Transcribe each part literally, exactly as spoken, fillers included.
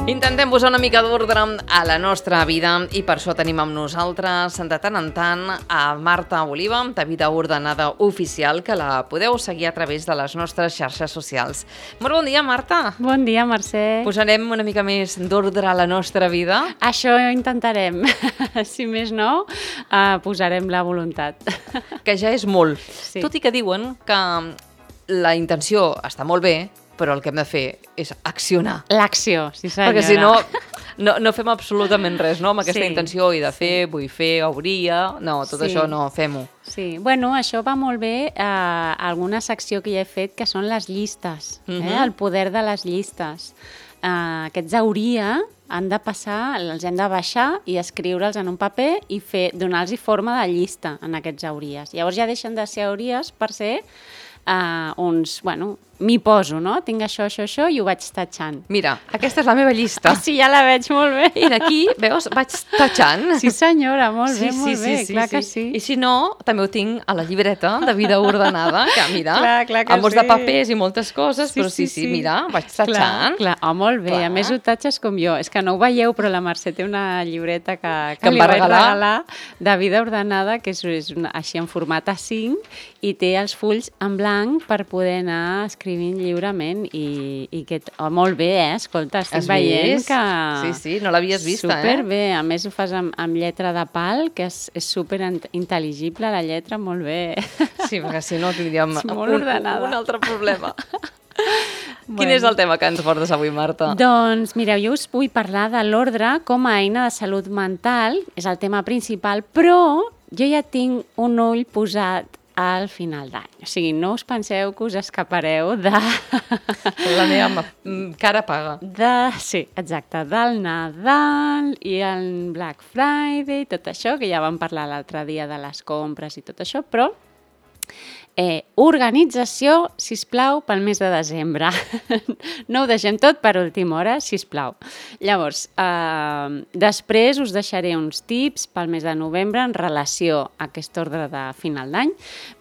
Intentem posar una mica d'ordre a la nostra vida i per això tenim amb nosaltres de tant en tant a Marta Oliva, de Vida Ordenada Oficial, que la podeu seguir a través de les nostres xarxes socials. Molt bon dia, Marta. Bon dia, Mercè. Posarem una mica més d'ordre a la nostra vida? Això intentarem. Si més no, uh, posarem la voluntat. Que ja és molt. Sí. Tot i que diuen que la intenció està molt bé, però el que hem de fer és accionar. L'acció, sí senyora. Perquè si no, no, no fem absolutament res, no? Amb aquesta Sí, intenció i de fer, sí. vull fer, hauria... No, tot Sí. això no, fem-ho. Sí, bueno, això va molt bé a alguna secció que ja he fet, que són les llistes, eh? Mhm. El poder de les llistes. Uh, aquests hauria han de passar, els hem de baixar i escriure'ls en un paper i fer donar-los forma de llista en aquests hauries. Llavors ja deixen de ser hauries per ser uh, uns, bueno, m'hi poso, no? Tinc això, això, això i ho vaig tatxant. Mira, aquesta és la meva llista. Ah, sí, ja la veig molt bé. I d'aquí, veus, vaig tatxant. Sí senyora, molt bé, sí, molt sí, bé, sí, clar sí, que sí. sí. I si no, també ho tinc a la llibreta de Vida Ordenada, que mira, Clar, clar que amb molts de sí. papers i moltes coses, Sí, però sí, sí, sí, sí. mira, vaig tatxant. Clar, clar. Oh, molt bé, Clar. a més ho tatxes com jo. És que no ho veieu, però la Mercè té una llibreta que, que, Que em li va vaig regalar. regalar de Vida Ordenada, que és, és una, així en format A cinc, i té els fulls en blanc per poder anar escrivint lliurement i, i que, oh, molt bé, eh? Escolta, estic Has veient vist? que... Sí, sí, no l'havies vista, eh? Superbé, a més ho fas amb, amb lletra de pal, que és, és super intel·ligible la lletra, molt bé. Sí, perquè si no tindríem És molt un, ordenada. un altre problema. Quin Bueno. és el tema que ens portes avui, Marta? Doncs mireu, jo us vull parlar de l'ordre com a eina de salut mental, és el tema principal, però jo ja tinc un ull posat al final d'any. O sigui, no us penseu que us escapareu de... La meva ma- mm, cara paga. de... Sí, exacte, del Nadal i el Black Friday, tot això, que ja vam parlar l'altre dia de les compres i tot això, però Eh, organització, sisplau, pel mes de desembre. No ho deixem tot per última hora, sisplau. Llavors, eh, després us deixaré uns tips pel mes de novembre en relació a aquest ordre de final d'any,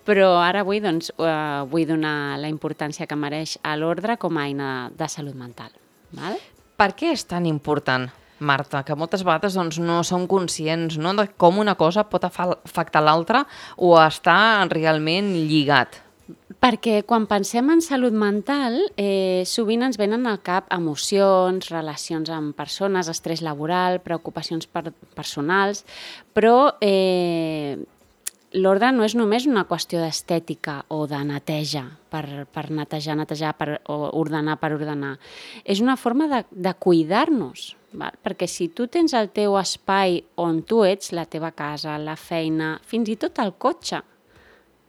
però ara avui doncs, eh, vull donar la importància que mereix a l'ordre com a eina de salut mental. Val? Per què és tan important, Marta, que moltes vegades doncs, no som conscients, no, de com una cosa pot afa- afectar l'altra o estar realment lligat? Perquè quan pensem en salut mental, eh, sovint ens venen al cap emocions, relacions amb persones, estrès laboral, preocupacions per personals, però eh, l'ordre no és només una qüestió d'estètica o de neteja, per, per netejar, netejar, per, o ordenar per ordenar. És una forma de, de cuidar-nos, val? Perquè si tu tens el teu espai on tu ets, la teva casa, la feina, fins i tot el cotxe,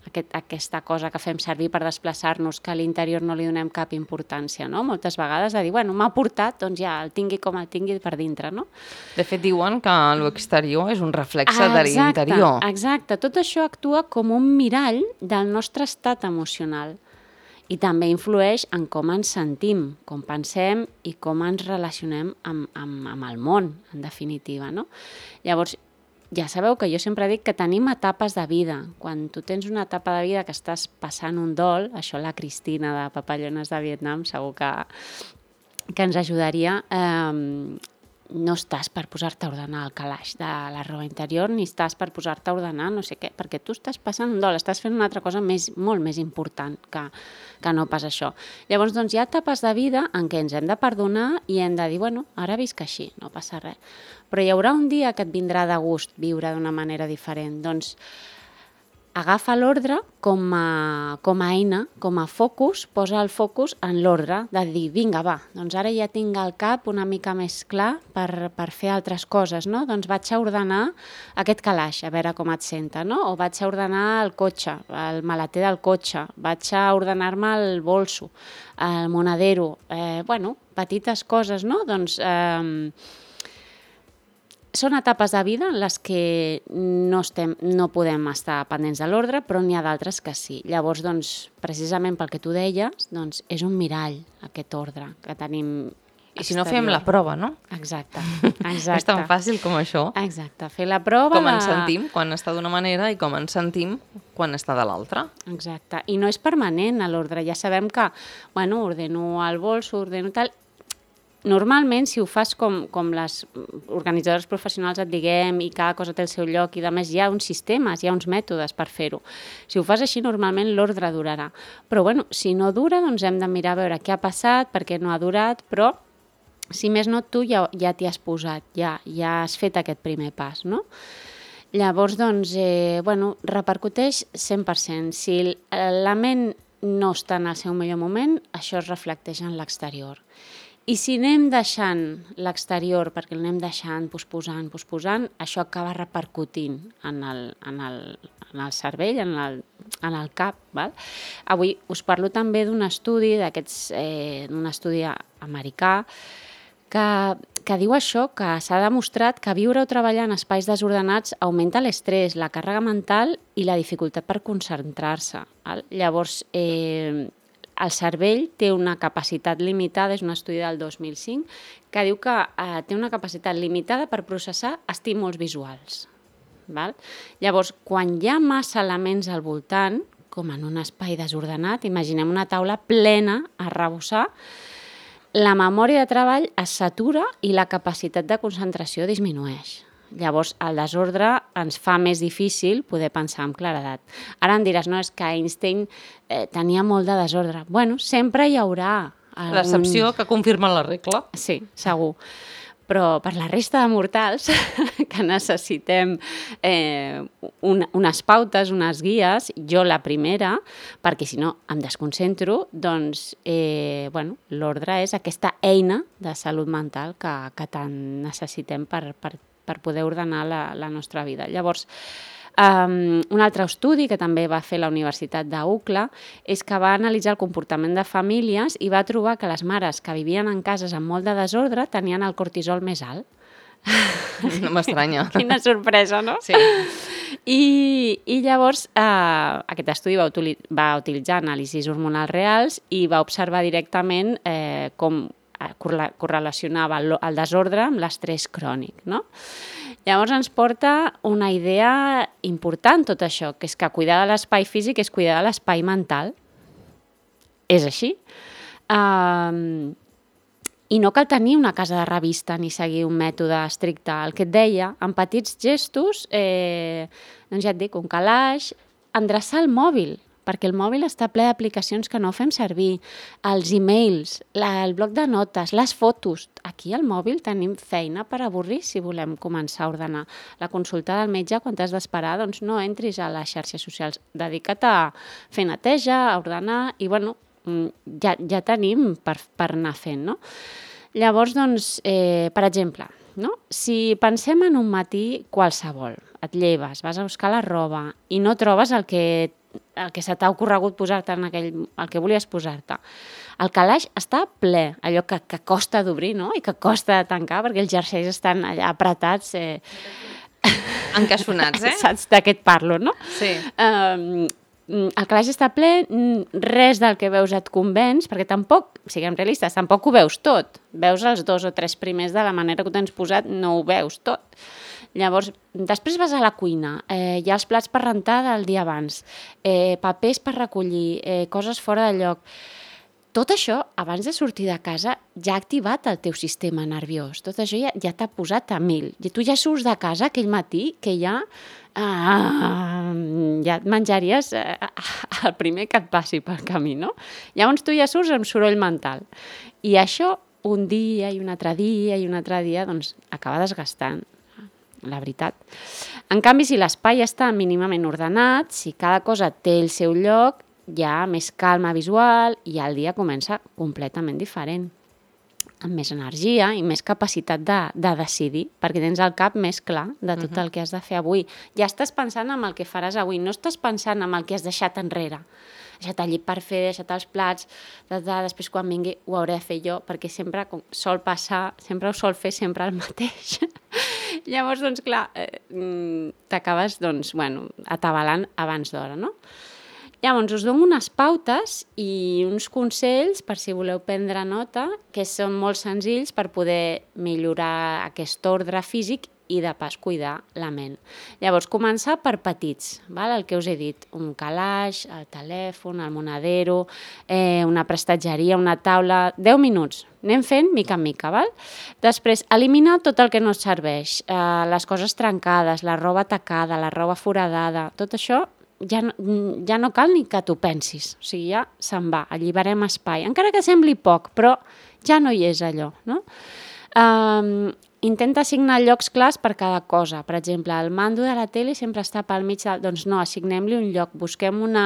aquest, aquesta cosa que fem servir per desplaçar-nos, que a l'interior no li donem cap importància, no? Moltes vegades de dir, bueno, m'ha portat, doncs ja el tingui com el tingui per dintre, no? De fet, diuen que l'exterior és un reflexe de l'interior. Exacte, tot això actua com un mirall del nostre estat emocional i també influeix en com ens sentim, com pensem i com ens relacionem amb, amb, amb el món, en definitiva, no? Llavors, ja sabeu que jo sempre dic que tenim etapes de vida. Quan tu tens una etapa de vida que estàs passant un dol, això la Cristina de Papallones de Vietnam segur que, que ens ajudaria, eh, no estàs per posar-te a ordenar el calaix de la roba interior ni estàs per posar-te a ordenar no sé què, perquè tu estàs passant un dol, estàs fent una altra cosa més, molt més important que, que no pas això. Llavors, doncs, hi ha etapes de vida en què ens hem de perdonar i hem de dir, bueno, ara visc així, no passa res. Però hi haurà un dia que et vindrà de gust viure d'una manera diferent. Doncs agafa l'ordre com a, com a eina, com a focus, posa el focus en l'ordre de dir, vinga, va, doncs ara ja tinc el cap una mica més clar per, per fer altres coses, no? Doncs vaig a ordenar aquest calaix, a veure com et senta, no? O vaig a ordenar el cotxe, el maleter del cotxe, vaig a ordenar-me el bolso, el monedero, eh, bueno, petites coses, no? Doncs... Eh, Són etapes de vida en les que no, estem, no podem estar pendents de l'ordre, però n'hi ha d'altres que sí. Llavors, doncs, precisament pel que tu deies, doncs, és un mirall aquest ordre que tenim I si no fem la prova, no? Exacte, exacte. És tan fàcil com això. Exacte, fer la prova... Com de... ens sentim quan està d'una manera i com ens sentim quan està de l'altra. Exacte, i no és permanent a l'ordre. Ja sabem que, bueno, ordeno el bols, ordeno tal... normalment, si ho fas com, com les organitzadores professionals et diguem i cada cosa té el seu lloc i a més hi ha uns sistemes, hi ha uns mètodes per fer-ho. Si ho fas així, normalment l'ordre durarà. Però bueno, si no dura, doncs hem de mirar a veure què ha passat, per què no ha durat, però si més no, tu ja, ja t'hi has posat, ja, ja has fet aquest primer pas, no? Llavors, doncs, eh, bueno, repercuteix cent per cent. Si la ment no està en el seu millor moment, això es reflecteix en l'exterior. I si anem deixant l'exterior, perquè l'anem deixant, posposant, posposant, això acaba repercutint en el, en el, en el cervell, en el, en el cap. Val? Avui us parlo també d'un estudi, d'aquests, eh, d'un estudi americà, que, que diu això, que s'ha demostrat que viure o treballar en espais desordenats augmenta l'estrès, la càrrega mental i la dificultat per concentrar-se. Val? Llavors, eh, el cervell té una capacitat limitada, és un estudi del dos mil cinc, que diu que eh, té una capacitat limitada per processar estímuls visuals. Val? Llavors, quan hi ha massa elements al voltant, com en un espai desordenat, imaginem una taula plena a arrebossar, la memòria de treball es satura i la capacitat de concentració disminueix. Llavors, el desordre ens fa més difícil poder pensar amb claredat. Ara em diràs, no, és que Einstein eh, tenia molt de desordre. Bueno, sempre hi haurà algun... L'excepció que confirma la regla. Sí, segur. Però per la resta de mortals que necessitem eh, un, unes pautes, unes guies, jo la primera, perquè si no em desconcentro, doncs eh, bueno, l'ordre és aquesta eina de salut mental que, que tant necessitem per, per, per poder ordenar la, la nostra vida. Llavors, Um, un altre estudi que també va fer la Universitat d'U C L A és que va analitzar el comportament de famílies i va trobar que les mares que vivien en cases amb molt de desordre tenien el cortisol més alt. No m'estranya. Quina sorpresa, no? Sí. I, i llavors eh, aquest estudi va, utili va utilitzar anàlisis hormonals reals i va observar directament eh, com correlacionava el, el desordre amb l'estrès crònic, no? Llavors ens porta una idea important tot això, que és que cuidar de l'espai físic és cuidar de l'espai mental. És així. Um, I no cal tenir una casa de revista ni seguir un mètode estricte. El que et deia, amb petits gestos, eh, doncs ja et dic, un calaix, endreçar el mòbil, perquè el mòbil està ple d'aplicacions que no fem servir, els e-mails, la, el bloc de notes, les fotos. Aquí al mòbil tenim feina per avorrir si volem començar a ordenar. La consulta del metge, quan t'has d'esperar, doncs no entris a les xarxes socials. Dedica't a fer neteja, a ordenar, i bueno, ja, ja tenim per, per anar fent, no? Llavors, doncs, eh, per exemple, no? Si pensem en un matí qualsevol, et lleves, vas a buscar la roba i no trobes el que el que se t'ha ocorregut posar-te en aquell, el que volies posar-te. El calaix està ple, allò que, que costa d'obrir, no? I que costa de tancar, perquè els jerseis estan allà apretats. Eh... Encaixonats, eh? Saps de què et parlo, no? Sí. Um, el calaix està ple, res del que veus et convenç, perquè tampoc, siguem realistes, tampoc ho veus tot. Veus els dos o tres primers de la manera que ho tens posat, no ho veus tot. Llavors, després vas a la cuina, eh, hi ha els plats per rentar del dia abans, eh, papers per recollir, eh, coses fora de lloc. Tot això, abans de sortir de casa, ja ha activat el teu sistema nerviós. Tot això ja, ja t'ha posat a mil. I tu ja surts de casa aquell matí que ja, ah, ja et menjaries eh, el primer que et passi pel camí, no? Llavors tu ja surts amb soroll mental. I això, un dia i un altre dia i un altre dia, doncs acaba desgastant. La veritat. En canvi, si l'espai està mínimament ordenat, si cada cosa té el seu lloc, hi ha més calma visual i el dia comença completament diferent, amb més energia i més capacitat de, de decidir, perquè tens el cap més clar de tot el que has de fer avui. Ja estàs pensant en el que faràs avui, no estàs pensant en el que has deixat enrere. Deixat el llit per fer, deixat els plats, de, de, després quan vingui ho hauré de fer jo, perquè sempre com sol passar, sempre ho sol fer sempre el mateix. Llavors, doncs clar, eh, t'acabes, doncs, bueno, atabalant abans d'hora, no? Llavors, us dono unes pautes i uns consells per si voleu prendre nota, que són molt senzills per poder millorar aquest ordre físic i de pas cuidar la ment. Llavors, començar per petits, val? El que us he dit, un calaix, el telèfon, el monedero, eh, una prestatgeria, una taula, deu minuts, anem fent mica en mica, val? Després, eliminar tot el que no et serveix, eh, les coses trencades, la roba tacada, la roba foradada, tot això ja no, ja no cal ni que t'ho pensis, o sigui, ja se'n va, alliberem espai, encara que sembli poc, però ja no hi és allò, no? Um, intenta assignar llocs clars per cada cosa. Per exemple, el mando de la tele sempre està pel mig de... Doncs no, assignem-li un lloc, busquem una,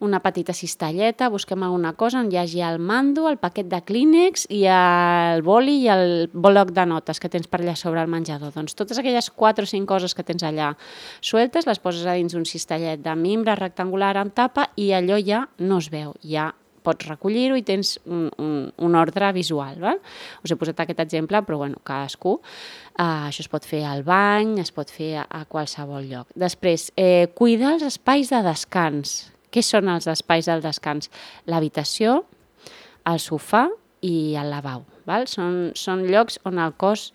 una petita cistelleta, busquem alguna cosa on hi hagi el mando, el paquet de Kleenex i el boli i el bloc de notes que tens per allà sobre el menjador. Doncs totes aquelles quatre o cinc coses que tens allà sueltes les poses a dins un cistellet de mimbre rectangular amb tapa i allò ja no es veu, ja pots recollir-ho i tens un, un, un ordre visual. Val? Us he posat aquest exemple, però bueno, cadascú. Uh, això es pot fer al bany, es pot fer a, a qualsevol lloc. Després, eh, cuidar els espais de descans. Què són els espais del descans? L'habitació, el sofà i el lavabo. Val? Són, són llocs on el cos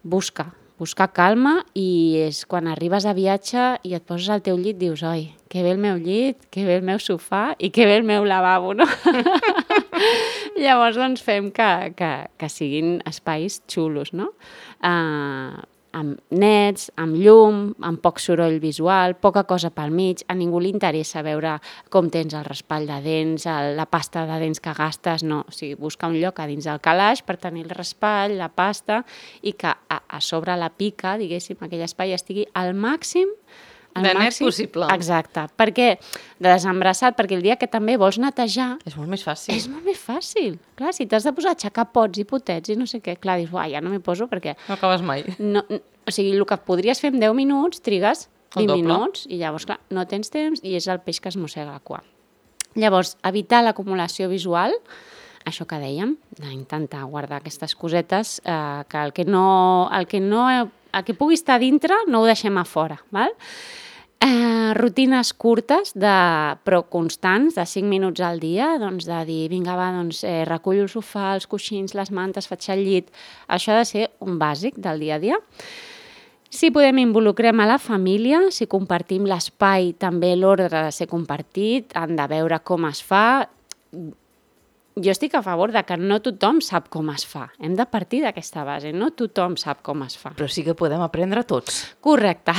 busca, buscar calma i és quan arribes a viatge i et poses al teu llit dius, oi, que bé el meu llit, que bé el meu sofà i que bé el meu lavabo, no? Llavors, doncs, fem que, que, que siguin espais xulos, no? Uh, amb nets, amb llum, amb poc soroll visual, poca cosa pel mig, a ningú li interessa veure com tens el raspall de dents, el, la pasta de dents que gastes, no, o sigui, busca un lloc a dins del calaix per tenir el raspall, la pasta, i que a, a sobre la pica, diguéssim, aquell espai estigui al màxim de net possible. Exacte, perquè de desembrassat, perquè el dia que també vols netejar... És molt més fàcil. És molt més fàcil. Clar, si t'has de posar a aixecar pots i potets i no sé què, clar, dius, uah, ja no m'hi poso perquè... No acabes mai. No, o sigui, el que podries fer en deu minuts, trigues vint minuts i llavors, clar, no tens temps i és el peix que es mossega la cua. Llavors, evitar l'acumulació visual, això que dèiem, d'intentar guardar aquestes cosetes, eh, que el que no... El que no el que pugui estar dintre no ho deixem a fora, val? Eh, rutines curtes, de, però constants, de cinc minuts al dia, doncs de dir, vinga, va, doncs, eh, recullo el sofà, els coixins, les mantes, faig el llit. Això ha de ser un bàsic del dia a dia. Si podem, involucrem a la família, si compartim l'espai, també l'ordre ha de ser compartit, han de veure com es fa. Jo estic a favor de que no tothom sap com es fa. Hem de partir d'aquesta base. No tothom sap com es fa. Però sí que podem aprendre tots. Correcte.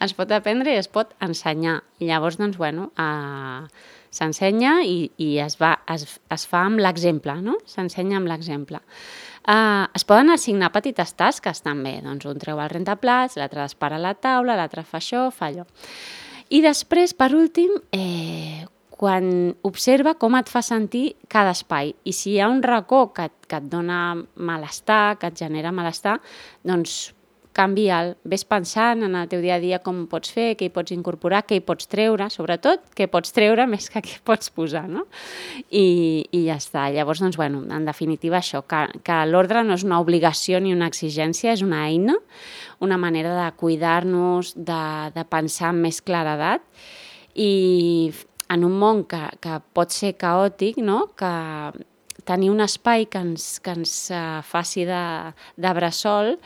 Es pot aprendre i es pot ensenyar. I llavors, doncs, bueno, uh, s'ensenya i, i es, va, es, es fa amb l'exemple, no? S'ensenya amb l'exemple. Uh, es poden assignar petites tasques també. Doncs un treu el rentaplats, l'altre dispara a la taula, l'altre fa això, fa allò. I després, per últim, eh, quan observa com et fa sentir cada espai. I si hi ha un racó que, que et dona malestar, que et genera malestar, doncs canvia'l. Ves pensant en el teu dia a dia com ho pots fer, què hi pots incorporar, què hi pots treure, sobretot què pots treure més que què pots posar, no? I, i ja està. Llavors, doncs, bueno, en definitiva això, que, que l'ordre no és una obligació ni una exigència, és una eina, una manera de cuidar-nos, de, de pensar amb més claredat i en un món que, que pot ser caòtic, no? Que tenir un espai que ens, que ens uh, faci de, de bressol,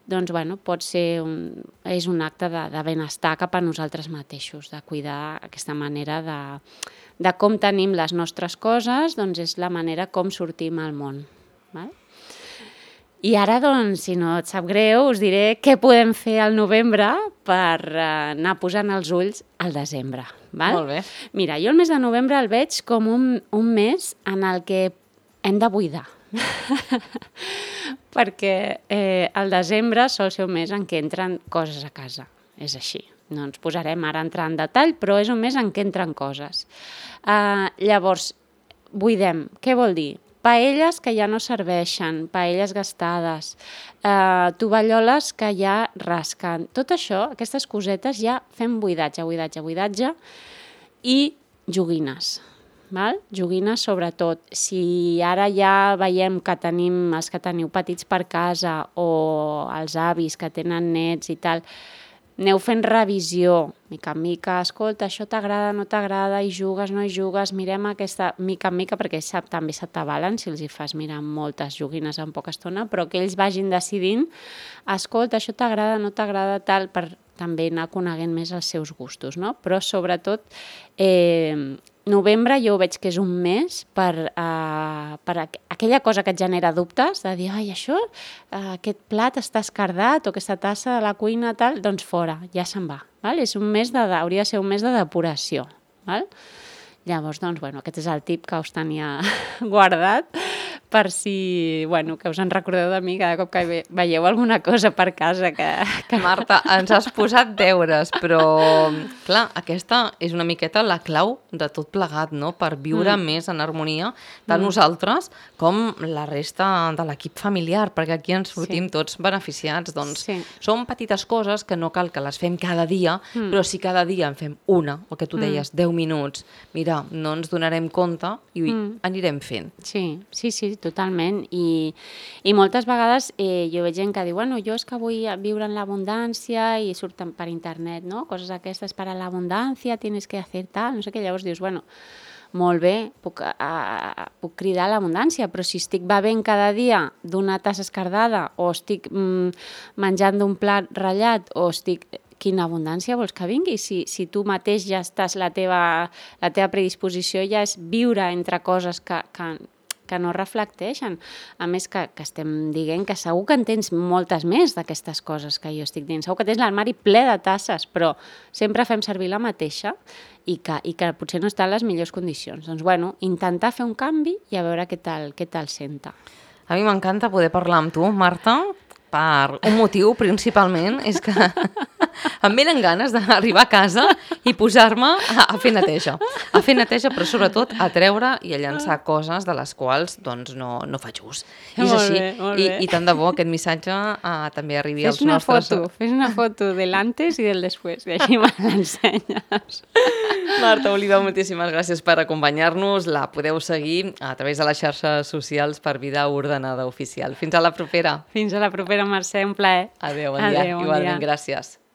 doncs, bueno, pot ser un, és un acte de, de benestar cap a nosaltres mateixos, de cuidar aquesta manera de, de com tenim les nostres coses, doncs és la manera com sortim al món. Val? I ara, doncs, si no et sap greu, us diré què podem fer al novembre per uh, anar posant els ulls al desembre. Val? Molt bé. Mira, jo el mes de novembre el veig com un, un mes en el que hem de buidar. Perquè eh, el desembre sol ser un mes en què entren coses a casa. És així. No ens posarem ara a entrar en detall, però és un mes en què entren coses. Uh, llavors, buidem. Què vol dir? Paelles que ja no serveixen, paelles gastades, eh, tovalloles que ja rasquen. Tot això, aquestes cosetes, ja fem buidatge, buidatge, buidatge i joguines. Val? Joguines sobretot. Si ara ja veiem que tenim els que teniu petits per casa o els avis que tenen nets i tal, aneu fent revisió, mica en mica, escolta, això t'agrada, no t'agrada, hi jugues, no hi jugues, mirem aquesta mica en mica, perquè sap, també se t'avalen si els hi fas mirar moltes joguines en poca estona, però que ells vagin decidint, escolta, això t'agrada, no t'agrada, tal, per també anar coneguent més els seus gustos, no? Però sobretot, eh, novembre jo veig que és un mes per, uh, per aqu aquella cosa que et genera dubtes, de dir, ai, això, uh, aquest plat està escardat o aquesta tassa de la cuina, tal, doncs fora, ja se'n va. Val? És un mes de, hauria de ser un mes de depuració. Val? Llavors, doncs, bueno, aquest és el tip que us tenia guardat per si, bueno, que us en recordeu de mi cada cop que ve veieu alguna cosa per casa que... que... Marta, ens has posat deures, però, clar, aquesta és una miqueta la clau de tot plegat, no?, per viure mm. més en harmonia, tant mm. nosaltres com la resta de l'equip familiar, perquè aquí ens sortim sí. tots beneficiats. Doncs sí. són petites coses que no cal que les fem cada dia, mm. però si cada dia en fem una, el que tu deies, mm. deu minuts, mira, no ens donarem compte i mm. anirem fent. Sí, sí, sí, totalment. I, i moltes vegades eh, jo veig gent que diu, bueno, jo és que vull viure en l'abundància i surten per internet, no? Coses aquestes per a l'abundància, tienes que hacer tal, no sé què. Llavors dius, bueno, molt bé, puc, a, puc cridar a l'abundància, però si estic bevent cada dia d'una tassa escardada o estic mm, menjant d'un plat ratllat o estic... Quina abundància vols que vingui? Si, si tu mateix ja estàs, la teva, la teva predisposició ja és viure entre coses que, que, que no reflecteixen. A més que, que estem dient que segur que en tens moltes més d'aquestes coses que jo estic dient. Segur que tens l'armari ple de tasses, però sempre fem servir la mateixa i que, i que potser no està en les millors condicions. Doncs, bueno, intentar fer un canvi i a veure què tal, què tal senta. A mi m'encanta poder parlar amb tu, Marta, per un motiu principalment, és que em venen ganes d'arribar a casa i posar-me a, a fer neteja. A fer neteja, però sobretot a treure i a llançar coses de les quals doncs, no, no faig ús. I és molt així. Bé, molt I, bé. I tant de bo aquest missatge uh, també arribi fes als una nostres... Foto, fes una foto del antes i del després, i així me l'ensenyes. Marta Oliva, moltíssimes gràcies per acompanyar-nos. La podeu seguir a través de les xarxes socials per Vida Ordenada Oficial. Fins a la propera. Fins a la propera, Mercè, un plaer. Adéu, bon dia. Adéu, bon Igualment, dia. gràcies.